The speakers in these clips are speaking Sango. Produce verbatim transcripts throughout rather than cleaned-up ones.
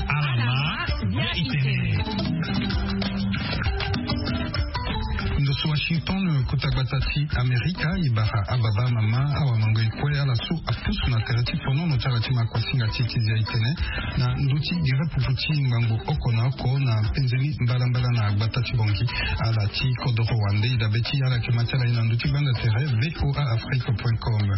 Alama bia itene. Ndo so Washington, kota gbata ti Amerika, e bara ababa, amama, awamango, e kue, ala so apusu na tere ti fonono ti ala ti ma kuasinga ti ti zia itene na ndö ti gere pupu ti ngbangbo oko na oko na penzeni mbalambala na gbata ti Bangui. Ala ti kodoro wande e dabe ti ala yeke ma ti ala ye na ndö ti gbanda tere V O A Afrique point com.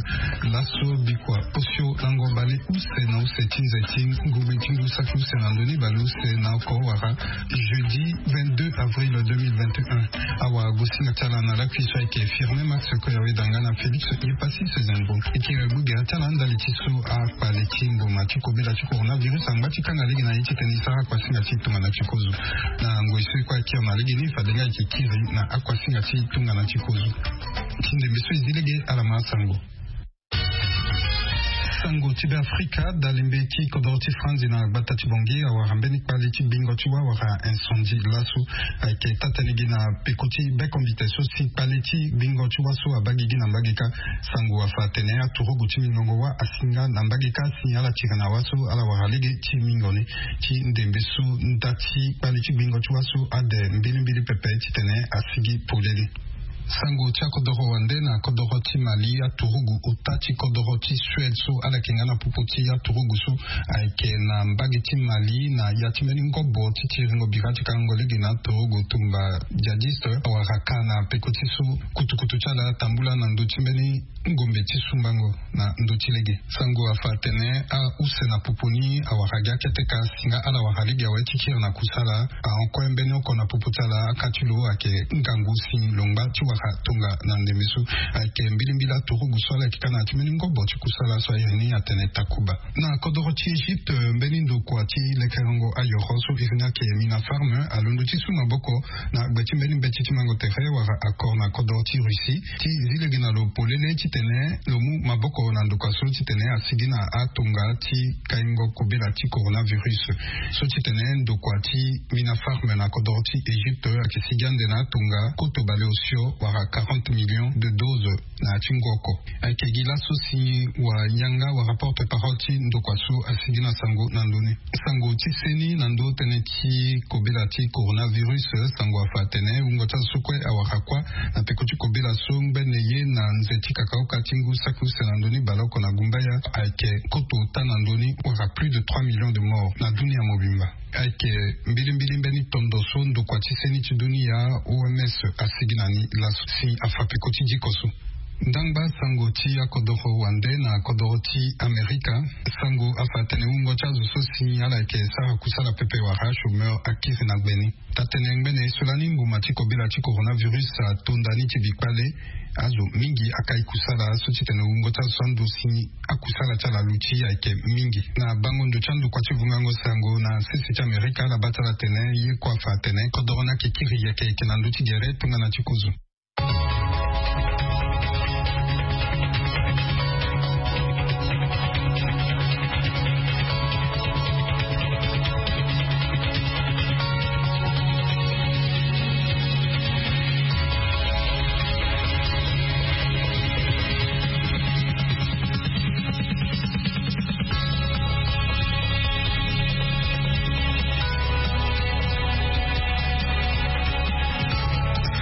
Laso bikua osio lango bale use na use ti nze ti ngombe ti ngu saki use na ndö ni bale use na oko wala jeudi vingt-deux avril deux mille vingt et un. Awagosinga ti ala na lakui so ayeke Firmin Max Koyawe Danga na Félix Yepassis Zembo. E kiri gbu gere ti ala ndali ti so akpale ti mboma ti kobela ti coronavirus angba ti kanga lege na ye titene e sara kuasinga ti tongana ti kozo. Na ngoi so e kue akiri na lege ni, fade nga e yeke kiri na akuasinga ti tongana ti kozo. Ti ndembe so e zi lege, ala ma asango. Sango ti Beafrika, dalembe ti kodoro ti Franzi na gbata ti Bangui awara mbeni kpale ti gbingo ti wâ wala incendie laso. Ayeke taa-tënë gi na peko ti bekombite so si kpale ti gbingo ti wâ so abaa gigi na mbage kâ. Sango afa atene aturugu ti mingongo wâ asi nga na mbage kâ si ala tiri na wâ so ala wara lege ti mingo ni. Ti ndembe so nda ti kpale ti gbingo ti wâ so ade mbilimbili pepe titene asigi polele. Sango ti akodoro wande na kodoro ti Mali, aturugu ota ti kodoro ti Suède so ala yeke nga na popo ti aturugu so ayeke na mbage ti Mali na ya ti mbeni ngobo ti tiringo bira ti kangango lege na aturugu tumba djihadiste awara ka na peko ti so kutukutu ti ala atambula na ndö ti mbeni ngombe ti sumbango na ndö ti lege. Sango afa atene ause na popo ni awara gi akete kâ si nga ala wara lege awe ti kiri na kusala. Ahon kue mbeni oko na popo ti ala, aka ti lo ayeke ngangu si lo ngba ti wara tonga na ndembe so. Ayeke mbilimbili aturugu so ala yeke ka na ya ti mbeni ngobo ti kusala so airi ni atene Takuba. Na kodoro ti Egypte, mbeni ndokua ti lekerengo ayoro so iri ni ayeke Mina Farm alondo ti su maboko na gbe ti mbeni mbeti ti mango tere wala accord na kodoro ti Russie ti zi lege na lo polele titene lo mu maboko na ndokua so titene asigi na atonga ti kaingo kobela ti coronavirus. So titene ndokua ti Mina Farm na kodoro ti Egypte ayeke sigi ande na atonga koto bale osio wala quarante millions de doses na ya ti ngu oko. Ayeke gi laso si wayanga wala porte-parole ti ndokua so asigi na sango na ndö ni. Sango ti seni na ndö tënë ti kobela ti coronavirus, sango afa atene wungo ti azo so kue awara kuâ na peko ti kobela so ngbene ye na nze ti kakaoka ti ngu saki use na ndö ni baleoko na gumbaya ayeke koto ota na ndö ni wala plus de trois millions de morts na dunia mobimba. Ayeke mbilimbili mbeni tondo so ndokua ti seni ti dunia, O M S, asigi na ni laso si afa peko ti diko so. Ndangba sango ti akodoro wande na kodoro ti Amerika. Sango afa atene wungo ti azo so si ala yeke sara kusala pepe wala chômeur akiri na gbe ni. Taa-tënë ngbene so lani mbuma ti kobela ti coronavirus atonda ni ti bikpale, azo mingi akai kusala so titene wungo ti azo so ando si akusala ti ala aluti ayeke mingi. Na bango ndo ti andokua ti vungango sango na sese ti Amerika, ala baa ti ala atene ye kue afa atene kodoro ni ayeke kiri yeke yeke na ndö ti gere tongana ti kozo.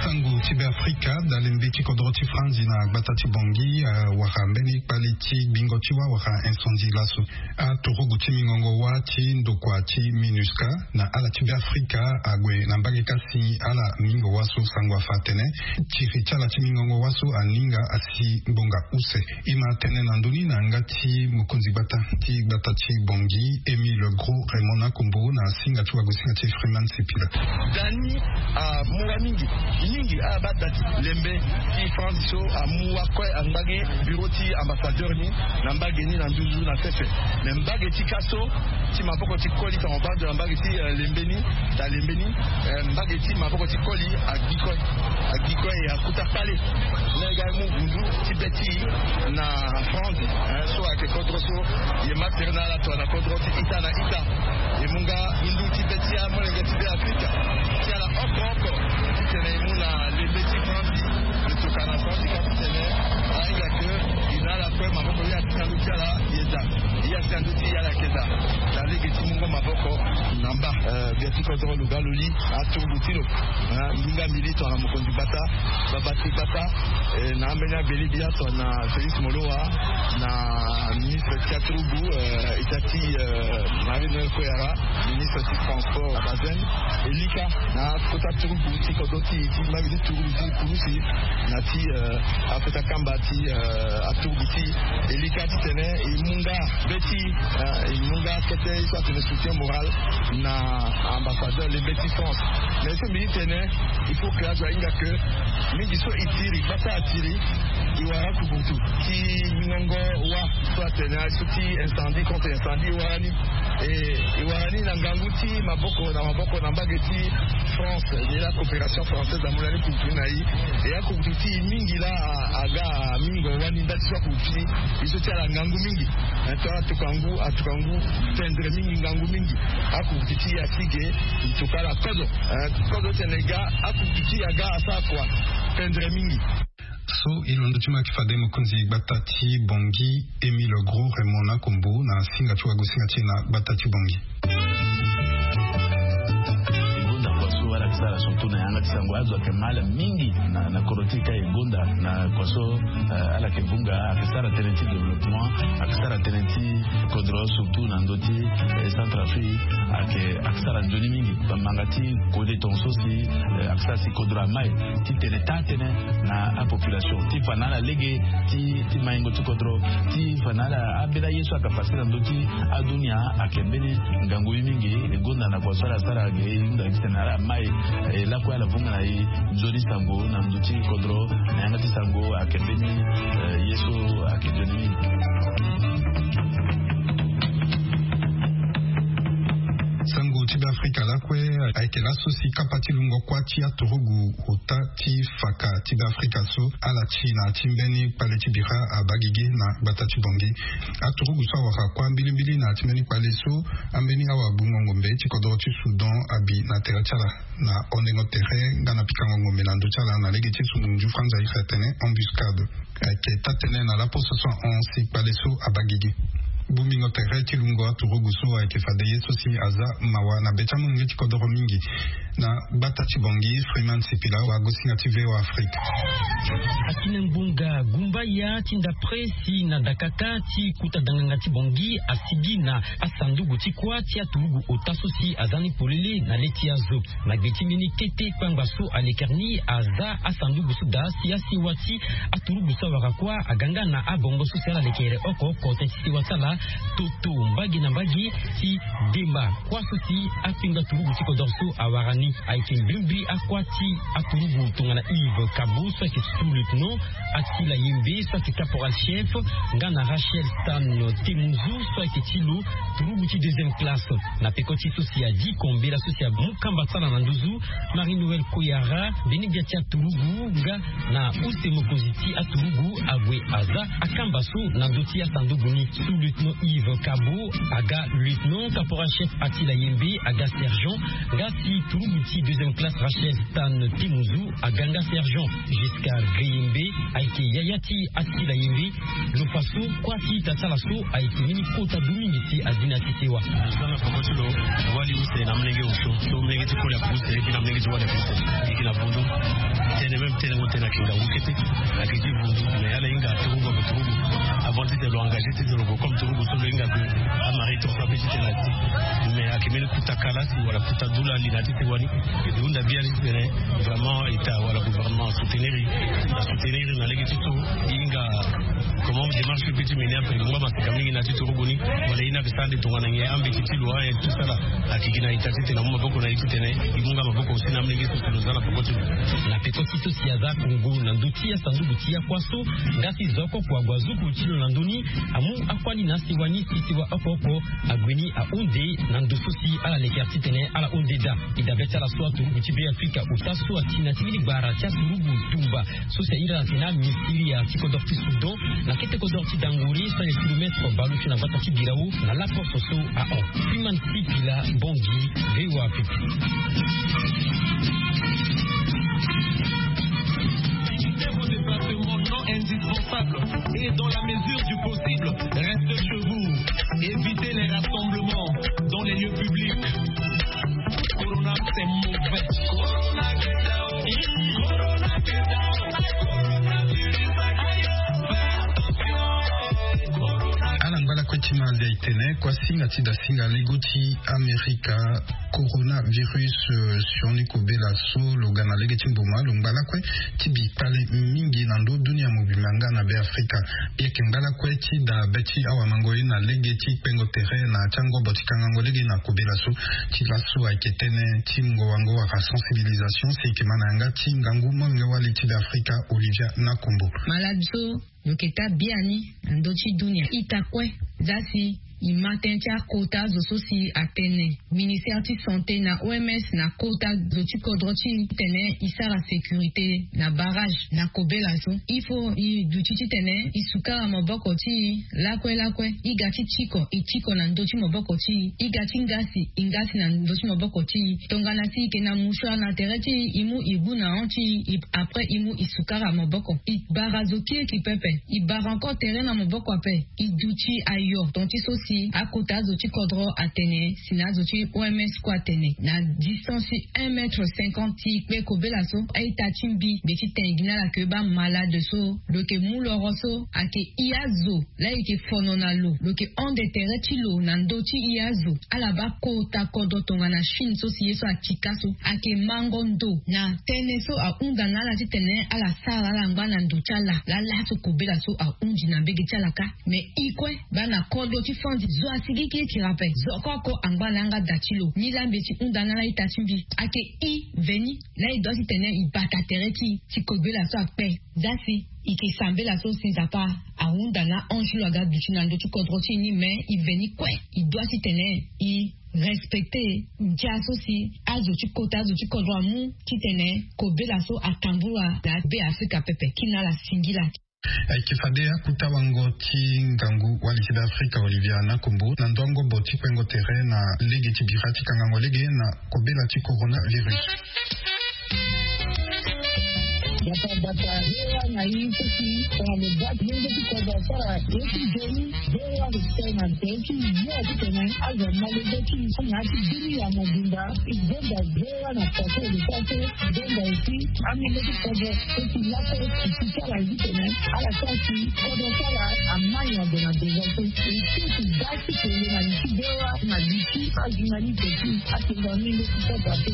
Sango ti Beafrika, dalembe ti kodro ti Franzi na gbata ti Bangui, eh, awara mbeni kpale ti gbingo ti wâ wala incendie laso. Aturugu ti mingongo wâ ti ndokua ti MINUSCA na ala ti Beafrika ague na mbage kasi ala mingo wâ so sango afa atene tiri ti ala ti mingongo wâ so aninga asi ngbonga use. E ma tene na ndö ni na yanga ti mokonzi gbata ti gbata ti Bangui, Émile Gros Raymond Nakombo, na singa ti wagosinga ti Freeman Sipila. Dani amu wâ mingi, mingi abaa da ti lembe ti France so amu wâ kue angba gi bureau ti ambassadeur ni na mbage ni na nduzu na sese. Me mbage ti ka so ti maboko ti koli, tongana baa ndo na mbage ti, eh, lembe ni, da lembe ni, eh, mbage ti maboko ti koli agi kue. Agi kue e akuta kpale. Lege amu vundu ti be ti e na France, eh, so ayeke kodro so e ma tere na ala tongana kodro ti ita na ita. E mu nga ndu ti be ti amolenge ti Beafrika ti ala oko oko titene e mu na lembe ti France. E tokua na France ka titene ahinga ke e na ala kue maboko, e asi na ndö ti ala e da. E asi na ndö ti e ala yeke da. Na lege ti mungo maboko. Mba, eh, gbia ti kodro lo ga lo li aturugu ti lo. Eh, nginga mbi li tongana mokonzi gbata, babati gbata, eh, na ambeni abeli bia tongana Félix Molowa, na ministre ti aturugu, eh, ita ti, eh, Marie Noël Koyara, ministre ti transport Bazen, e lika na kota turugu ti kodro ti, ti mba mbi ti turugu ti pulusi, na ti, eh, akota kamba ti, eh, aturugu ti e lika titene e mu nga be ti, eh, e mu nga kete so atene soutien moral na ambassadeur le be ti France. Mais so mbi ti tene, il faut que azo ahinga que mingi so e tiri, gbata atiri, e wara akurutu ti mingongo wa so atene aye so ti incendie contre incendie e wara ni. E, e wara ni na ngangu ti maboko na maboko na mbage ti France, ni la coopération française amu lani kurutu ni na e. E akurutu ti e mingi laa a, aga mingo wani ndali so akurutu ti e so ti ala ngangu mingi. Eh, tongana atuka ngu, atuka ngu tendre mingi, ngangu mingi. Akurutu ti e asi ge, e tuka ala kozo. Eh, kozo ti tene ga, akurutu ti e aga asara kua, tendre mingi. So e londo ti mo ayeke fade mokonzi gbata ti Bangui, Émile Gros Raymond Nakombo, na singa ti wagosinga ti e na gbata ti Bangui. E gonda kua so ala yeke sara surtout na yanga ti sango, azo ayeke mal mingi na, na kodro ti e ka e gonda na kua so, eh, ala yeke vunga, ayeke sara tënë ti développement, ayeke sara tënë ti kodro surtout na ndö ti, eh, Centrafrique, ayeke, ayeke sara nzoni mingi. Bamanga ti kode tongaso si, eh, ayeke sara si kodro amai titene taa tënë na apopulation ti fa na ala lege ti, ti maingo ti kodro, ti fa na ala ambeni aye so ayeke pase na ndö ti adunia. Ayeke mbeni ngangu ye mingi. E gonda na kua so ala sara ge, e hunda titene ala mai, eh, lakue ala vunga na e nzoni sango na ndö ti kodro na yanga ti sango. Ayeke mbeni, eh, ye so ayeke nzoni mingi. Sango ti Beafrika lakue ayeke laso si kapa ti lungo kuâ ti aturugu ota ti faka ti Beafrika so ala ti na ya ti mbeni kpale ti bira abaa gigi na gbata ti Bangui. Aturugu so awara kuâ mbilimbili na ya ti mbeni kpale so, ambeni awagbungo ngombe ti kodro ti Soudan abi na tere ti ala na hondengo tere nga na pikango ngombe na ndö ti ala na lege ti sungu nju Français atene embuscade. Ayeke taa-tënë na laposo so ahon si kpale so abaa gigi. Bongbingo tere ti lungo aturugu so ayeke fade ye so si aza mawa na be ti amolenge ti kodoro mingi na gbata ti Bangui. Freeman Sipila, wagosinga ti V O A Afrique. Akina ngbonga gumbaya ti ndapre si na dakaka ti kota danganga ti Bangui asigi na asanduku ti kuâ ti aturugu ota so si aza ni polele na le ti azo. Na gbe ti mbeni kete kpangba so alekere ni aza asanduku so daa si asewa ti aturugu so awara kuâ aga nga na abongo so si ala lekere oko oko tënë ti sewa ti ala toto mbage na mbage ti demba kuâ so si akpinga turugu ti kodoro so awara ni. Ayeke mbrimbri akuâ ti aturugu tongana Yves Kabo so ayeke sous-lieutenant, Attila Yembe so ayeke caporal chef, nga na Rachel Stan Temuzu so ayeke ti lo turugu ti deuxième classe. Na peko ti so si adi kombela so si amu kamba ti ala na nduzu, Marie Noël Koyara, mbeni gbia ti aturugu nga na use mokonzi ti aturugu ague aza akamba so na ndö ti asanduku ni. Sous-lieutenant Yves Kabo aga lieutenant, caporal chef Attila Yembe aga sergent, nga si turugu ti deuxième classe Rachel Stan Temuzu aga nga sergent. Jusqu'à Greyembe ayeke yaya ti Attila Yembe. Lo fa so kuâ ti ita ti ala so ayeke mbeni kota du mingi si azi na ya ti sewa. Lo za na peko ti lo wali use na molenge osio so molenge ti koli ayeke use, e bi na molenge ti wali ayeke use. E yeke na vundu tënë, même tënë ngo tënë ayeke ngangu kete. Ayeke ti vundu mais ala hinga turugu ayeke turugu. Avant titene lo engagé titene lo gue comme turugu so lo hinga que amari tongaso ape titene asi. Mais ayeke mbeni kuta kala si wala kuta dula ali na ya ti sewa ni. E hunda bia ni titene vraiment ita wala gouvernement asoutenir e, asoutenir e na lege ti so e hinga comment démarche so e peut ti mener après lo ngba maseka mingi na ya ti turugu ni. Wala e ni ayeke sara ande tongana nyen ambeti ti lo ayen tout ça là. Ayeke gi na ita titene amu maboko na e titene e mu nga maboko aussi na amolenge so si lo za na peko ti lo. Na peko ti so si aza akongo na ndö ti asanduku ti akuâ so, nga si zo oko kua ague azuku ti lo na ndö ni, amu akuâ ni na asewa ni si sewa oko oko ague ni ahunde na ndo so si ala leke titene ala hunde daa. E dabe ti ala so aturugu ti Beafrika ota so ati na ti mbeni gbara ti aturugu tumba so si ahiri ala atene amisiria ti kodoro ti Soudan na kete kodoro ti Dangore so ayeke kilomètre baleusio na gbata ti Birao na laposo so ahon. Freeman Sipila, Bangui, V O A Afrique. Vos déplacements non indispensables et dans la mesure du possible, restez chez vous. Évitez les rassemblements dans les lieux publics. Tene kua singa ti da singa lego ti amerika. Coronavirus sioni kobela so lo ga na lege ti mboma lo ngba lakue ti bi kpale mingi na ndo dunia mobimba nga na be afrika. Yeke ngba lakue ti da be ti awamango ye na lege ti kpengo tere na ti angobo ti kangango lege na kobela so. Ti laso ayeke tene ti ngowango wala sensibilisation si eke ma na yanga ti ngangu molenge wali ti be afrika. Olivia na kombo. Malade so lo yeke taa biani na ndö ti dunia ita kue. Za si e ma tënë ti akota zo so si atene ministere ti sante na oms na kota zo ti kodro ti e titene e sara sécurité na barrage na kobela so. Il faut e duti titene e sukara maboko ti e lakue lakue. E ga ti tiko e tiko na ndö ti maboko ti e. E ga ti ngasi e ngasi na ndö ti maboko ti e. Tongana si e yeke na mouchoir na tere ti e e mu e gbu na hon ti e. Après e mu e sukara maboko e bara zo kiriki pepe. E bara encore tere na maboko ape. E duti ayo tonga ti so si akota azo ti kodro atene si na azo ti oms kue atene na distance ti un mètre cinquante ti e kpe kobela so. A-ita ti mbi mbi ti tene gi na ala ke bamalade so lo yeke mu loro so ayeke i azo. Laa e yeke fono na lo lo yeke hon de tere ti lo na ndö ti i azo. Ala baa kota kodro tongana chine so si ye so atika so ayeke mango ndo na tënë so ahunda na ala titene ala sara ala ngba na ndo ti ala. Laa laso kobela so ahundi na mbege ti ala kâ. Me e kue baa na kodro ti fandi zo asigikirikiri ape zo oko oko angba na yanga da ti lo ni laa mbi ye ti hunda na ala ita ti mbi. Ayeke i veni laa e doit titene e bata tere ti e si kobela so akpe. Za si e yeke sambela so si nzapa ahunda na ange ti lo aga duti na ndö ti kodro ti e ni me e veni kue. E doit titene e respecte ndia so si azo ti kota azo ti kodro amu titene kobela so atambula na be afrika pepe kina ala singila. Ayeke fade akuta wango ti ngangu wali ti be afrika olivia na kombo na ndö angobo ti kpengo tere na lege ti bira ti kangango lege na kobela ti coronavirus. Bata bata, voa na ye ti si tongana lo baa ti lenge ti kodro asara ye ti nzoni. Voa lo tene na tere ti yo ti tene azo ama lege ti na ya ti bini ya mobimba. E zonza voa na poto lo sara so. Zonza esi amenge ti kodro so si laso e si ti ala ye ti tene ala sara si kodro ti ala ama nyodo na deza so. E si e si baa ti tene na li ti voa na li ti ajournaliste ti atonga amenge ti kodro ape.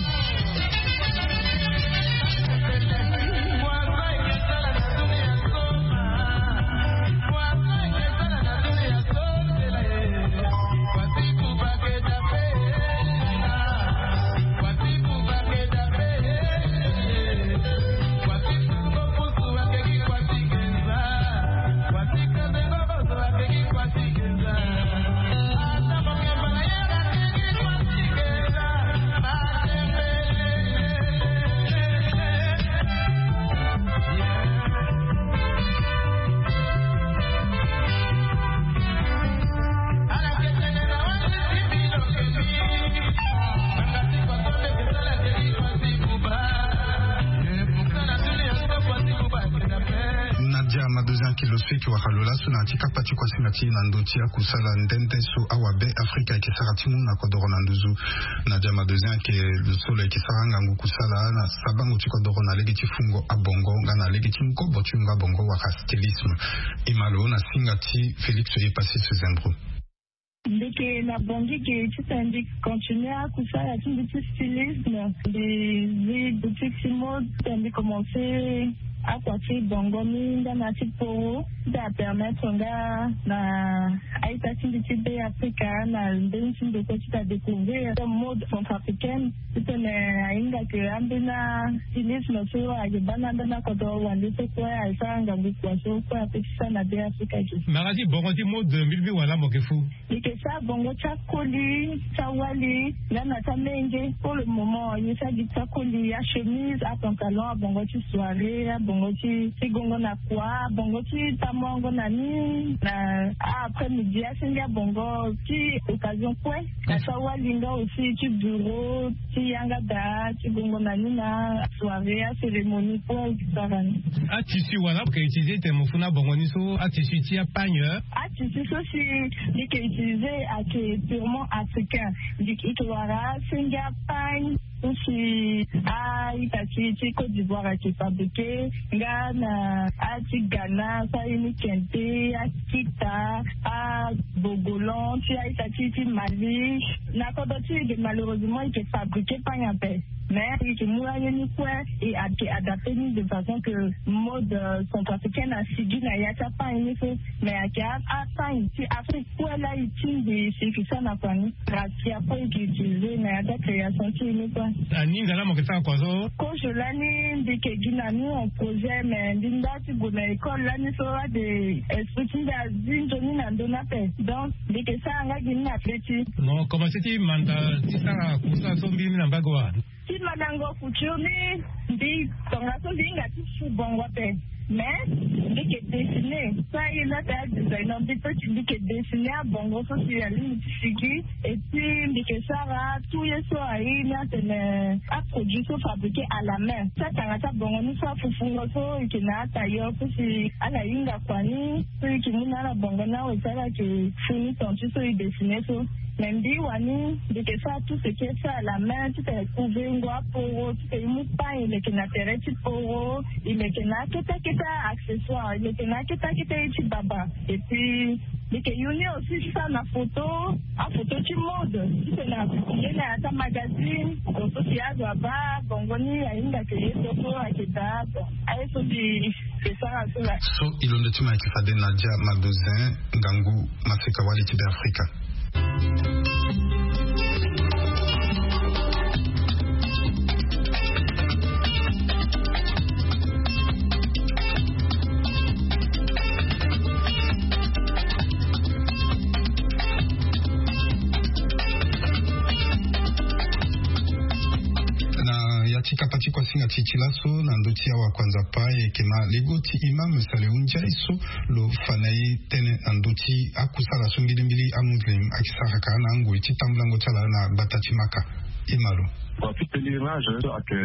Nadia madozi ake lo so eke wara lo laso na ya ti kapa ti kuasinga ti e na ndö ti akusala nde nde so awabe afrika eke sara ti mu na kodoro na nduzu. Nadia madozi ake lo so lo eke sara angangu kusala na sabango ti kodoro na lege ti fungo abongo nga na lege ti ngobo ti yungo abongo wala stylisme. E ma lo na singa ti félix oye passis zembro. Mbi yeke na bongi ge titene mbi continue akusala ti mbi ti stylisme. Mbi zi boutique ti mode titene mbi commence akua ti bongo ni nga na ti poro ti apermettre nga na a-ita ti mbi ti be afrika na mbeni ti ndokua ti ta découvrir mode centrafricaine. Titene ahinga ke ambeni stylisme so ayeke baa na ambeni akodro wande so kue asara ngangu kua so kue ape ti sara na be afrika ge. Mara ti bongo ti mode mbi lingbi wala mo yeke fu. Mbi yeke sara bongo ti akoli ti awali nga na ti amenge. Pour le moment ye sara gi ti akoli achemise apantalon abongo ti soirée abongo ti ti gongo na kua abongo ti tamoango na ni na après midi asenge abongo ti occasion kue. Na ti awali nga aussi ti bureau ti yanga daa ti gongo na ni na soirée acérémonie kue. Sara ni. Atissu wala mo yeke utiliser tene mo fu na bongo ni so atissu ti apagne. Atissu so si mbi yeke utiliser ayeke purement africain. Mbi yeke wara asenge apagne. Ti a-ita ti ti côte d'ivoire ayeke fabriqué nga na a ti ghana so aye ni kente, akita, abogolan ti a-ita ti ti mali. Na kodro ti e ge malheureusement e ke fabriqué pagne ape. Mais e ke mu aye ni kue, e ayeke adapté ni de façon que mode centrafricaine asigi na ya ti apagne ni so. Mais ayeke apagne ti afrique kue laa e tingbi si e ke sara na kua ni. Rakia kue e ke utilisé na ya ti acréation ti e ni kue. Aninga laa mo yeke sara kua so? Kozo lani mbi yeke gi na ni en projet mais mbi nda ti gue na école lani so ade esprit ti mbi azi nzoni na ndoni ape. Donc mbi yeke sara nga gi ni na be ti. Mo commencé ti manda ti sara kusa so mbi ni na mbage wa? Ti mandango couture ni mbi tongaso mbi hinga ti su bongo ape. Mais mbi yeke dessiner so aye ni ate adesigner mbi pe ti mbi yeke dessiner abongo so si alingbi ti sigi. Et puis mbi yeke sara tout ye so aye ni atene aproduit so fabriqué à la main ti atanga ti abongo ni so afufungo so e yeke na atailleur so si ala hinga kua ni so e yeke mu na ala bongo ni awe si ala yeke fini ton ti so e dessiner so. Mais mbi wani mbi yeke sara tout ce qui est fait à la main titene couvengo aporo titene e mu pagne e leke na tere ti poro. E leke na akete akete accessoire e leke na akete akete ye ti baba. Et puis mbi yeke yu ni aussi ti sara na photo, aphoto ti mode titene apublie na ya ti amagazine. Photo si azo abaa bongo ni ahinga ke ye so so ayeke daa. Bon aye so mbi yeke sara so laa. So e londo ti mo ayeke fade na dia madozin ngangu. Maseka wali ti be afrika. Na ya ti kapa ti kuasinga ti ti laso na ndö ti awakuanza pa e yeke na lego ti imam salehu ndiaye so lo fa na e tënë na ndö ti akusala so mbilimbili amuslim ayeke sara ka na angoi ti tambulango ti ala na gbata ti maka. Imalo. Kua ti pèlerinage so ayeke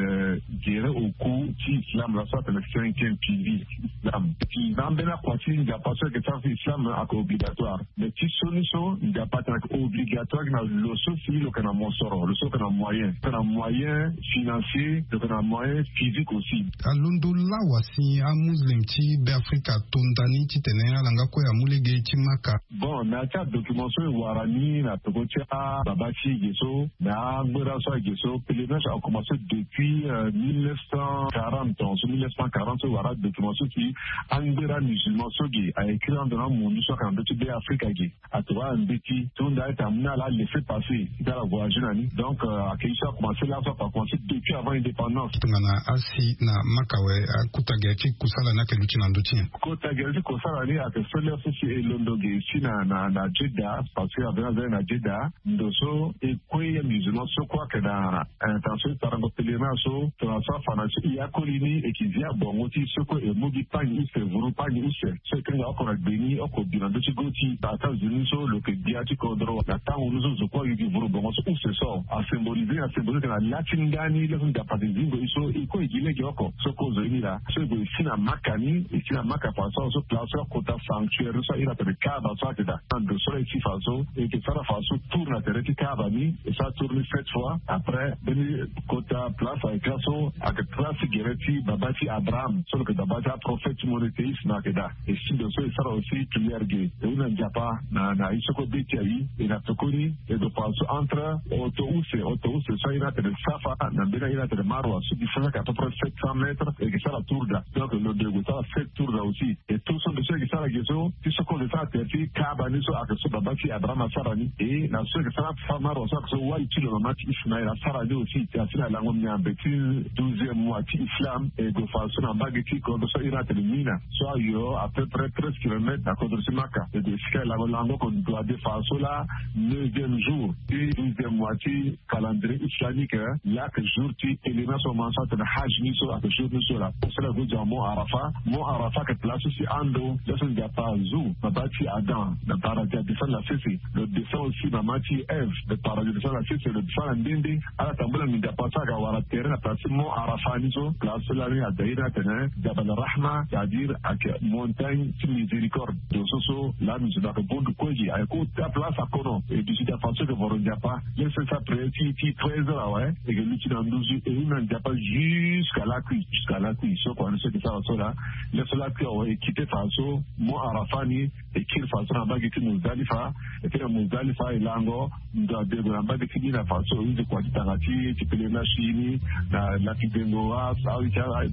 gere au cou ti islam laso atene cinquième pilier ti islam. Ti na ambeni akua ti nzapa so ayeke sara ti islam ayeke obligatoire. Mais ti so ni so nzapa atene ayeke obligatoire na lo so si lo yeke na mosoro lo so lo yeke na moyen lo yeke na moyen financier lo yeke na moyen physique aussi. Alondo lawa si amuslim ti be afrika atonda ni titene ala nga kue amu lege ti maka. Bon na ya ti adocument so e wara ni na peko ti ababa ti e ge so na angbera so ayeke so pèlerinage akomanse depuis mille neuf cent quarante ans so mille neuf cent quarante so e wara adocument so si angbera musulman so ge a écrit ando na amundu so ayeke na ndö ti be afrika ge. Atokua na mbeti ti hunda ete amu na ala laisser passer ti ala voyager na ni. Donc ayeke ye so akomanse laso akomanse depuis avant indépendance. Tongana asi na maka awe akota gere ti kusala ni ayeke luti na ndö ti nyen? Kota gere ti kusala ni ayeke so lere so si e londo ge si na na na jeddah parce que avena aza na jeddah. Ndo so e kue ya musulman so kue ayeke na intention ti sarango pèlerinage so tongana so afa na so e akoli ni e yeke zi abongo ti so kue e mu gi pagne use vuru pagne use. So e kanga oko na gbe ni oko bi na ndö ti go ti na états-unis so lo yeke gbia ti kodro na tango ni so zo kue ayuki vuru bongo so use so asymbolisé asymbolisé ayeke na la ti ndani laso nzapa ayeke zingo e so e kue e gi lege oko so kue zo ye ni laa. So e gue e si na maka ni e si na maka fa so so place so akota sanctuaire ni so ahiri atene kaaba so ayeke daa. Na ndo so la e si fa so e yeke sara fa so tour na tere ti kaaba ni. E sara tour ni sept fois après mbeni kota place ayeke laso ayeke place ti gere ti baba ti abraham so lo yeke baba ti aprophète monothéisme ayeke daa. E si ndo so e sara aussi prière ge e hunda nzapa na na ye so kue be ti aye. E na tokoni e gue fa so entre oto use oto use so aye ni atene safa na mbeni aye ni atene marwa so distance ayeke à peu près sept cents mètres e yeke sara tour daa. Donc lo ndo e gue sara sept tour daa aussi. E tour so ndo so e yeke sara ge so ti so kue lo sara tere ti kaaba ni so ayeke so baba ti abraham asara ni e na so e yeke sara safa marwa so ayeke so wali ti lo mama ti ismael asara ni aussi. Asi na lango miambe ti douzième mois ti islam e gue fa so na mbage ti kodro so ahiri atene mina so ayo à peu près treize kilomètres na kodro ti maka. E gue esika e lango lango oko ndo ade fa so laa neuvième jour ti douzième mois ti calendrier islamique laa ayeke jour ti pèlerinage so aman so atene haj ni so ayeke jour ni so laa. So laa e gue zo na mont arafa. Mont arafa ayeke place so si ando laso nzapa azu baba ti adam na paradis adescendre na sese. Lo descend aussi mama ti eve na paradis adescendre na sese lo descend na Nde ala tambula mingi Nzapa so ayeke wara tere na place ti Mont Arafat ni so, place so lani adair atene Jabal Rahma, c'est-à-dire ayeke montagne ti miséricorde. Ndo so so lani zo na yeke bondu kue gi ayeke kota place akono. Et puis si ta façon yeke voro Nzapa, laisse sa prière ti ti treize heures awe, e yeke luti na nduzu e hunda Nzapa jusqu'à lakui, jusqu'à lakui. So kua ni so yeke sara so laa, laisse lakui awe, e kite fa so Mont Arafat ni, e kiri fa so na mbage ti Muzdalifa. E kiri na Muzdalifa, e lango ndo adego na mbage ti ni na fa so e use kua ti tanga ti ti pèlerinage ti e ni na laki dengo a, a, a,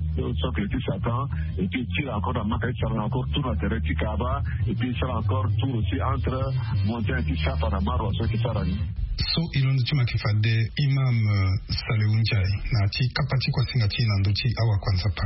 socle ti Satan. Et puis e tiri encore na maka ti sara encore tour na tere ti Kaaba. Et puis e sara encore tour aussi entre montagne ti Safa na Marwa so e ke sara ni. So e londo ti ma yeke fade Imam, euh, Salehu Ndiaye na ya ti kapa ti kuasinga ti e na ndö ti awakua Nzapa.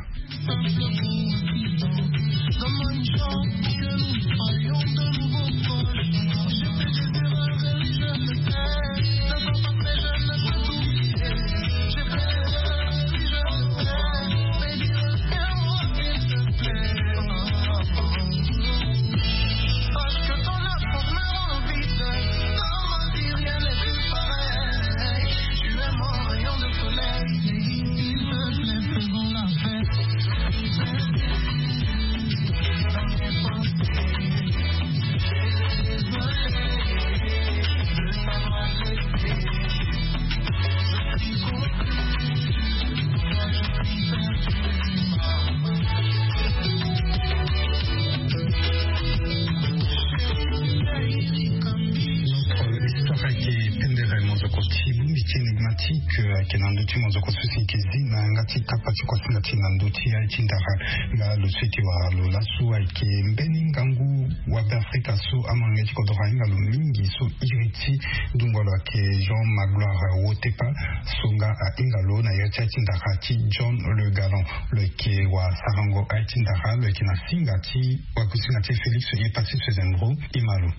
Histoire ayeke pendere mozoko ti bongbi ti énigmatique, euh, ayeke na ndö ti mozoko so si yeke zi na yanga ti kapa ti kuasinga ti e na ndö ti aye ti ndara. Nga lo so e yeke wara lo laso ayeke mbeni ngangu wa Beafrika so amolenge ti kodro ahinga lo mingi so iri ti dungua lo ayeke Jean Magloire Wotepa, so nga ahinga lo na iri ti aye ti ndara ti John Le Galant. Lo yeke wasarango aye ti ndara, lo yeke na singa ti wakusinga ti e Félix Epassis Fezendro. E ma lo.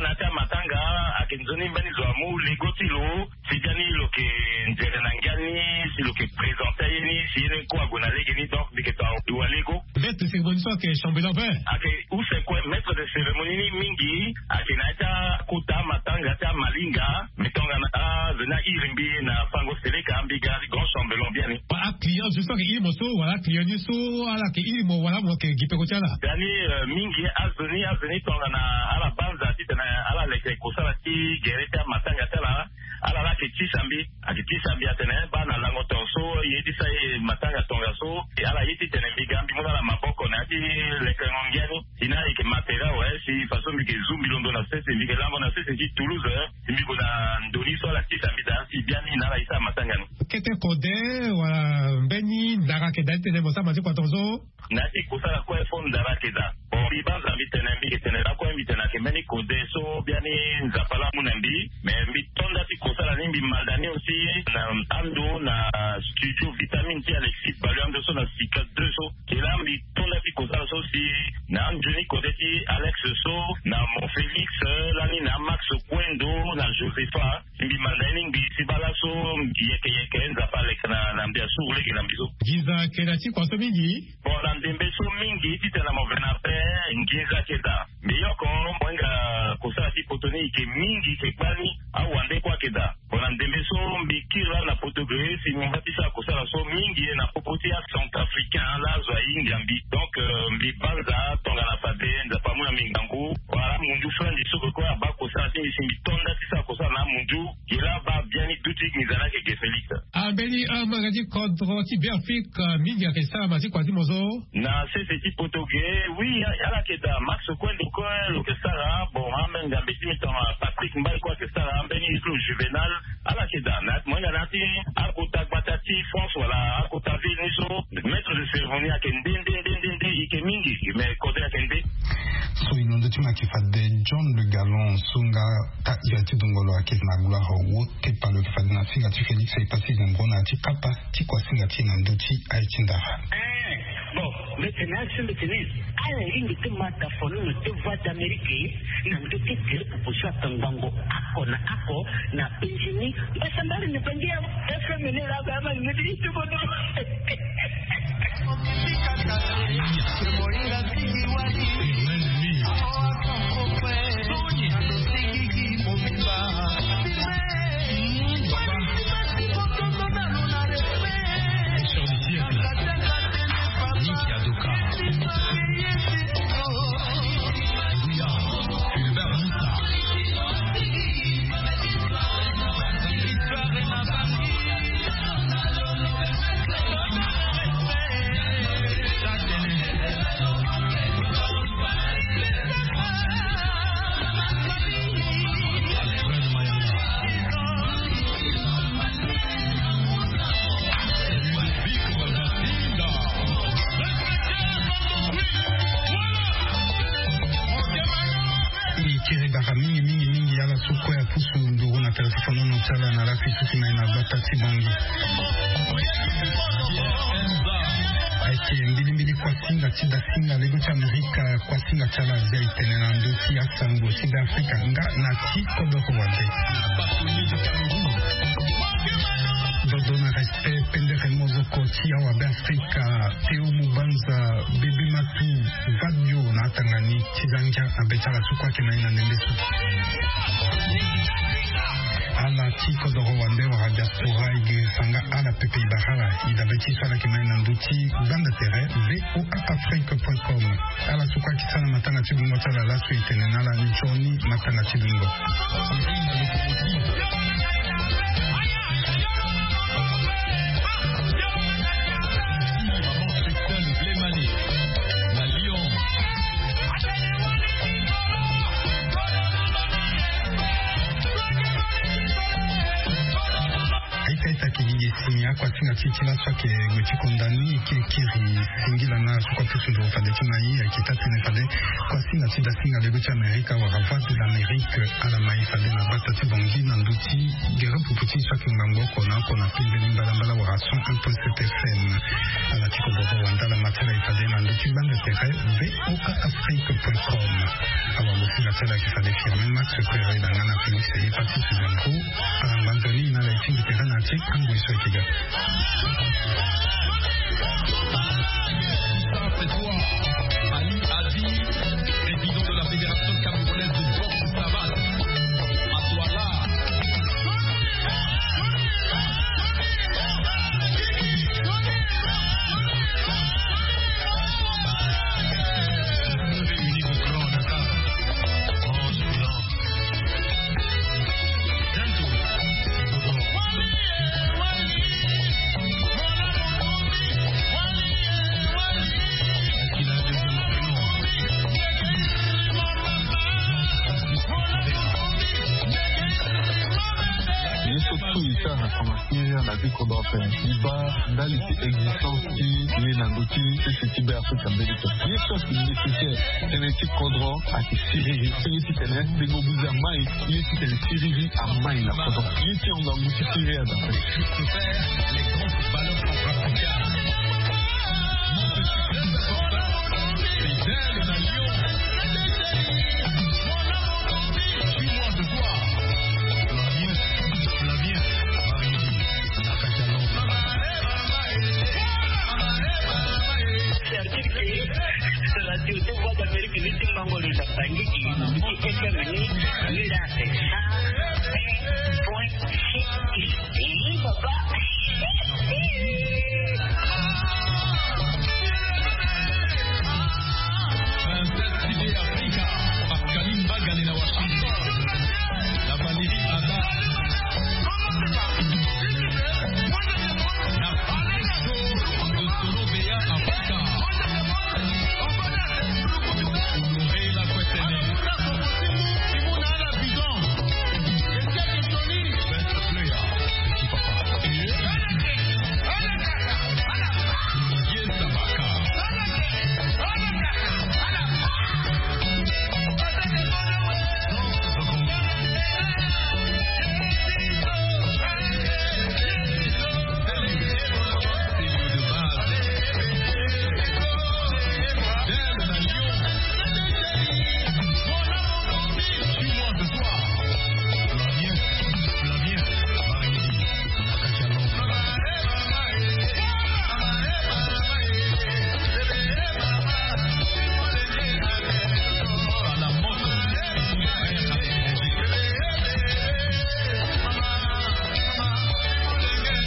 Na ya ti amatanga ayeke nzoni mbeni zo amu lego ti lo. Si biani lo yeke nzere na ngia ni, si lo yeke présenter aye ni, si ye ni kue ague na lege ni, donc mbi yeke to awa lego. Maître de cérémonie so ayeke chambellan vert. Ayeke use kue, maître de cérémonie ni mingi ayeke na ya ti akota amatanga ti amalinga. Mbi tongana azo ni airi mbi na fango seleka, mbi ga grand chambellan biani. Ba aclient so ayeke iri mo so, wala aclient ni so ala yeke iri mo, wala mo yeke gi peko ti ala? Biani, euh, mingi azo ni, azo ni tongana ala banza titene ala leke kosala ti gere ti amatanga ti ala. Ala la ayeke tisa mbi, ayeke tisa mbi atene, eh, baa na lango tongaso, ye ti sa ye matanga tongaso. E ala ye titene mbi ga mbi mu na ala maboko na ya ti lekengo ngia ni. Si na ayeke ma tere awe, si faso mbi yeke zu mbi londo na sese, mbi yeke lango na sese ti Toulouse, eh, si mbi gue na ndo ni so ala tisa mbi daa, si biani na ala ye ti amatanga ni. Kete kode, wala mbeni ndara ayeke daa titene mo sara ma ti kua tongaso? Na ya ti kosala kue fo ndara ayeke daa. Bon, mbi banza mbi tene, mbi yeke tene lakue, mbi tene ayeke mbeni kode so biani Nzapa laa amu na mbi. Mais mbi to nda ti kosala ni, mbi malda ni aussi na ando na studio Vitamine ti Alexis Balu, ando so na Sika deux so. Ke laa mbi to nda ti kosala so si na anzoni kode ti Alex so, na Mon Félix, eh, lani na Max Kuendo, na Josepha. Mbi manda ye ni ngbii si baa laso yeke yeke Nzapa aleke na, na mbi asuru lege na mbi so. Nginza ayeke daa ti kua so mingi. Bon, na ndembe so mingi titene mo ve na ape, nginza ayeke daa. Mbi yoko mo hinga kosala ti poto ni yeke mingi, yeke kpale ni, awande kue ayeke daa. Bon, na ndembe so mbi kiri laa na poto ge, si mo mba ti sara kosala so mingi na popo ti acentrafricain laa azo ahinga mbi. Donc, euh, mbi banza tongana fade Nzapa amu na mbi ngangu. Wala munzu fandi so kue abaa kosala ti mbi si mbi to nda ti sara kosala na amunzu. Gi laa abaa biani duti nginza ni ayeke ge Félix. Ah, mbeni, ah, amolenge ti kodro ti Beafrika mingi ayeke sara ma ti kua ti mo so? Na sese ti poto ge, oui, ala yeke daa. Max Kuendo kue lo yeke sara. Bon, amolenge ngambe ti mbi tongana Patrick Mbaye kue ayeke sara, mbeni ti lo Juvenal. Ala yeke daa. Na mo hinga na ya ti akota gbata ti France wala akota ville ni so, maître de cérémonie ayeke nde, nde, nde, nde, nde, e yeke mingi, mais kode ayeke nde. So e londo ti mo ayeke fade John Le Galant so nga ta iri ti dongolo ayeke na Gloire Wotepa, lo yeke fade na singa ti Félix Epassi Zembro na ya ti kapa ti kua singa ti e na ndö ti aye ti ndara. Eh, bon, mbi tene asi, mbi tene ala lingbi ti ma tafoni na ti Voix d'Amérique, na ndö ti gere proposition ata ngangu oko na oko na penzi ni. Mbasambari ni penzi ya F M ni la ba ma ni ti bodo. Sala na lafi tuki mai na bata ti bongi. Eke mbilimbili kuasinga ti dasinga lego ti amerika, kuasinga ti ala azia etene na ndö ti asango ti be afrika nga na ti kodoro wande. Dodo na respect pendere mozoko ti awa be afrika. Teo mubanza, bebe matu, vadio na atanga ni ti zangia na be ti ala suku ake na ye na ndembe so. Ala ti kodoro wande wala diaspora e girisa nga ala pepe e bara ala e dabe ti so ala yeke ma ye na ndö ti banda tere. Voa afrique point com. Ala suku ake ti sara na matanga ti dungo ti ala laso e tene na ala nzoni matanga ti dungo. Aita aita kigigi si akuasinga ti ti laso ake gue ti konda ni eke kiri. Singila na suku apusu nduru fade ti mai ayeke taa tene fade kuasinga ti dasinga lego ti amerika wala voie de l'amérique ala mai fade na bata ti bongi na ndö ti gere pupu ti so ayeke ngbangbo oko na oko na pembeni mbalambala wala cent un point sept fm. Ala ti kodoro wande ala ma ti ala e fade na ndö ti gbanda tere. Voa afrique point com. Awa mosinga ti ala ayeke fade firme max kuere na nga na félix ye patrice zampo. Ala ngba nzoni na ala e tingbi tere na ti angoi so ayeke ga. C'est toi, Ali Adi, président de la Fédération camerounaise de boxe savate. À toi là. Ye so tout e sara na kama siria na ti kodro ape e baa ndali ti existence ti ye na ndö ti sese ti be afrika mbeni to. Ye so ayeke nécessaire tënë ti kodro ayeke siriri. Ye titene bengo buze amai. Ye titene siriri amai na kodro. Ye ti hongo angu ti siriri adape.